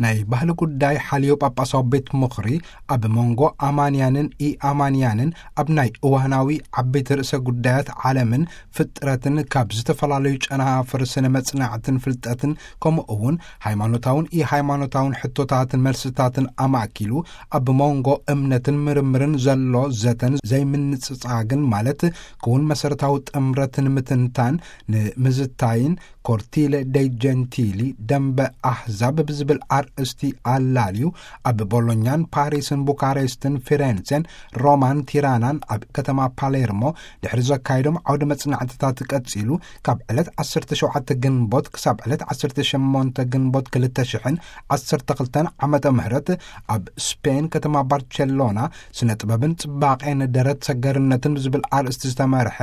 ናይ ባህሊ ጉዳይ ሓልዮ ጳጳሳዊ ቤት ምኽሪ፣ ኣብ መንጎ ኣማንያንን ኢኣማንያንን ኣብ ናይ እዋናዊ ዓበይቲ ርእሰ ጉዳያት ዓለምን ፍጥረትን ካብ ዝተፈላለዩ ጨናፍር ስነ መጽናዕትን ፍልጠትን፣ ከምኡ እውን ሃይማኖታውን ኢሃይማኖታውን ሕቶታትን መልስታትን ኣማእኪሉ፣ ኣብ መንጎ እምነትን ምርምርን ዘሎ ዘተን ዘይምንጽጻግን፣ ማለት ክውን መሰረታዊ ጥምረትን ምትንታን ንምዝታይን፣ ኮርቲለ ደይ ጀንቲሊ፣ ደንበ ኣህዛብ ብዝብል ኣርእስቲ ኣላልዩ፣ ኣብ ቦሎኛን ፓሪስን ቡካሬስትን ፊሬንሴን ሮማን ቲራናን ኣብ ከተማ ፓሌርሞ ድሕሪ ዘካየዶም ዓውደ መጽናዕትታት ቀጺሉ፣ ካብ ዕለት ዓሰርተ ሸውዓተ ግንቦት ክሳብ ዕለት ዓሰርተ ሸሞንተ ግንቦት ክልተ ሽሕን ዓሰርተ ክልተን ዓመተ ምህረት ኣብ ስፔን ከተማ ባርቸሎና ስነ ጥበብን ጽባቄን ደረት ሰገርነትን ብዝብል ኣርእስቲ ዝተመርሐ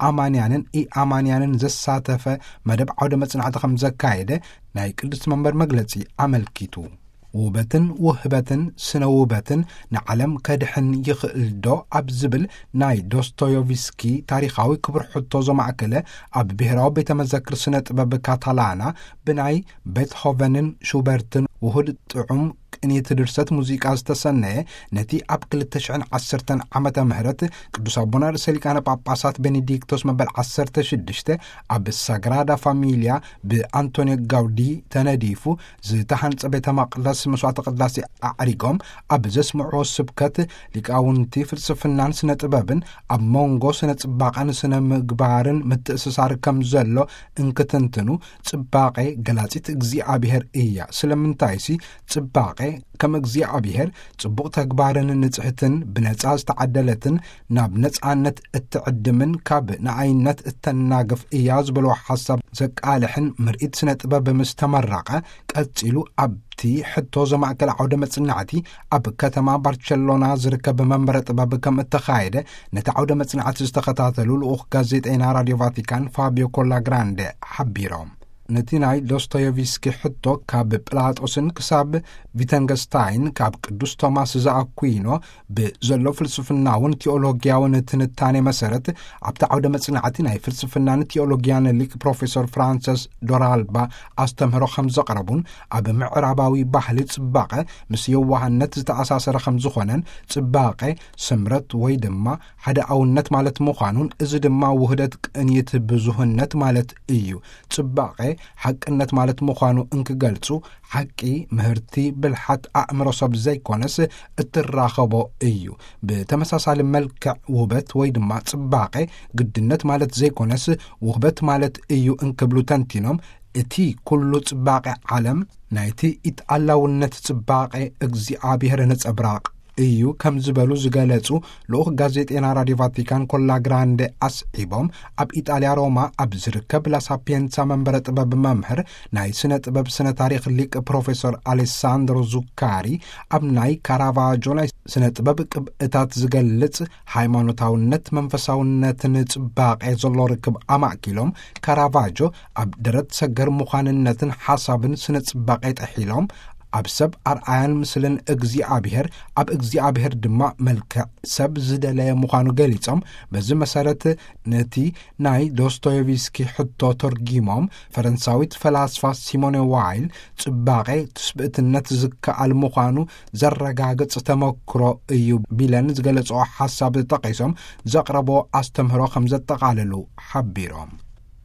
ኣማንያንን ኢኣማንያንን ዘሳተፈ መደብ ዓውደ መጽናዕቲ ከም ዘካየደ ናይ ቅድስቲ መንበር መግለጺ ኣመልኪቱ። ውበትን ውህበትን ስነ ውበትን ንዓለም ከድሕን ይኽእል ዶ ኣብ ዝብል ናይ ዶስቶዮቭስኪ ታሪኻዊ ክብር ሕቶ ዘማእከለ፣ ኣብ ብሔራዊ ቤተ መዘክር ስነ ጥበብ ካታላና ብናይ ቤትሆቨንን ሹበርትን ውሁድ ጥዑም ቅኒት ድርሰት ሙዚቃ ዝተሰነየ፣ ነቲ ኣብ ክልተ ሽሕን ዓሰርተን ዓመተ ምህረት ቅዱስ ኣቦና ርእሰ ሊቃነ ጳጳሳት ቤኔዲክቶስ መበል ዓሰርተ ሽዱሽተ ኣብ ሳግራዳ ፋሚልያ ብኣንቶኒዮ ጋውዲ ተነዲፉ ዝተሃንጸ ቤተ መቕደስ መስዋዕተ ቅዳሴ ኣዕሪጎም ኣብ ዘስምዕዎ ስብከት፣ ሊቃውንቲ ፍልስፍናን ስነ ጥበብን ኣብ መንጎ ስነ ጽባቐን ስነ ምግባርን ምትእስሳር ከም ዘሎ እንክትንትኑ፣ ጽባቐ ገላጺት እግዚኣብሔር እያ። ስለምንታይሲ ጽባቐ ከም እግዚኣብሔር ጽቡቕ ተግባርን ንጽሕትን ብነጻ ዝተዓደለትን ናብ ነጻነት እትዕድምን ካብ ንኣይነት እተናግፍ እያ ዝበልዎ ሓሳብ ዘቃልሕን ምርኢት ስነ ጥበብ ምስ ተመረቐ፣ ቀጺሉ ኣብቲ ሕቶ ዘማእከለ ዓውደ መጽናዕቲ ኣብ ከተማ ባርቸሎና ዝርከብ መንበረ ጥበብ ከም እተኻየደ ነቲ ዓውደ መጽናዕቲ ዝተኸታተሉ ልኡኽ ጋዜጠይና ራድዮ ቫቲካን ፋቢዮ ኮላግራንደ ሓቢሮም። ነቲ ናይ ዶስቶዮቭስኪ ሕቶ ካብ ጵላጦስን ክሳብ ቪተንገስታይን፣ ካብ ቅዱስ ቶማስ ዘኣኩይኖ ብዘሎ ፍልስፍናውን ቲኦሎጊያውን ትንታኔ መሰረት፣ ኣብቲ ዓውደ መጽናዕቲ ናይ ፍልስፍናን ቲኦሎጊያን ሊቅ ፕሮፌሰር ፍራንሰስ ዶራልባ ኣስተምህሮ ከም ዘቕረቡን፣ ኣብ ምዕራባዊ ባህሊ ጽባቐ ምስ የዋህነት ዝተኣሳሰረ ከም ዝኾነን፣ ጽባቐ ስምረት ወይ ድማ ሓደ ኣውነት ማለት ምዃኑን፣ እዚ ድማ ውህደት ቅንይት ብዙህነት ማለት እዩ። ጽባቐ ሓቅነት ማለት ምዃኑ እንክገልጹ፣ ሓቂ፣ ምህርቲ፣ ብልሓት ኣእምሮ ሰብ ዘይኮነስ እትራኸቦ እዩ። ብተመሳሳሊ መልክዕ ውህበት ወይ ድማ ጽባቐ ግድነት ማለት ዘይኮነስ ውህበት ማለት እዩ እንክብሉ ተንቲኖም፣ እቲ ኩሉ ጽባቐ ዓለም ናይቲ ኢትኣላውነት ጽባቐ እግዚኣብሔር ነጸብራቕ እዩ ከም ዝበሉ ዝገለጹ ልኡኽ ጋዜጤና ራድዮ ቫቲካን ኮላ ግራንደ ኣስዒቦም፣ ኣብ ኢጣልያ ሮማ ኣብ ዝርከብ ላሳፒየንሳ መንበረ ጥበብ መምህር ናይ ስነ ጥበብ ስነ ታሪኽ ሊቅ ፕሮፌሰር ኣሌሳንድሮ ዙካሪ፣ ኣብ ናይ ካራቫጆ ናይ ስነ ጥበብ ቅብእታት ዝገልጽ ሃይማኖታውነት መንፈሳውነትን ጽባቐ ዘሎ ርክብ ኣማእኪሎም፣ ካራቫጆ ኣብ ደረት ሰገር ምዃንነትን ሓሳብን ስነ ጽባቐ ጥሒሎም፣ ኣብ ሰብ ኣርኣያን ምስልን እግዚኣብሔር፣ ኣብ እግዚኣብሔር ድማ መልክዕ ሰብ ዝደለየ ምዃኑ ገሊጾም፣ በዚ መሰረት ነቲ ናይ ዶስቶየቭስኪ ሕቶ ተርጊሞም፣ ፈረንሳዊት ፈላስፋ ሲሞኔ ዋይል ጽባቐ ትስብእትነት ዝከኣል ምዃኑ ዘረጋግጽ ተመክሮ እዩ ቢለን ዝገለጽኦ ሓሳብ ጠቒሶም፣ ዘቕረቦ ኣስተምህሮ ከም ዘጠቓልሉ ሓቢሮም።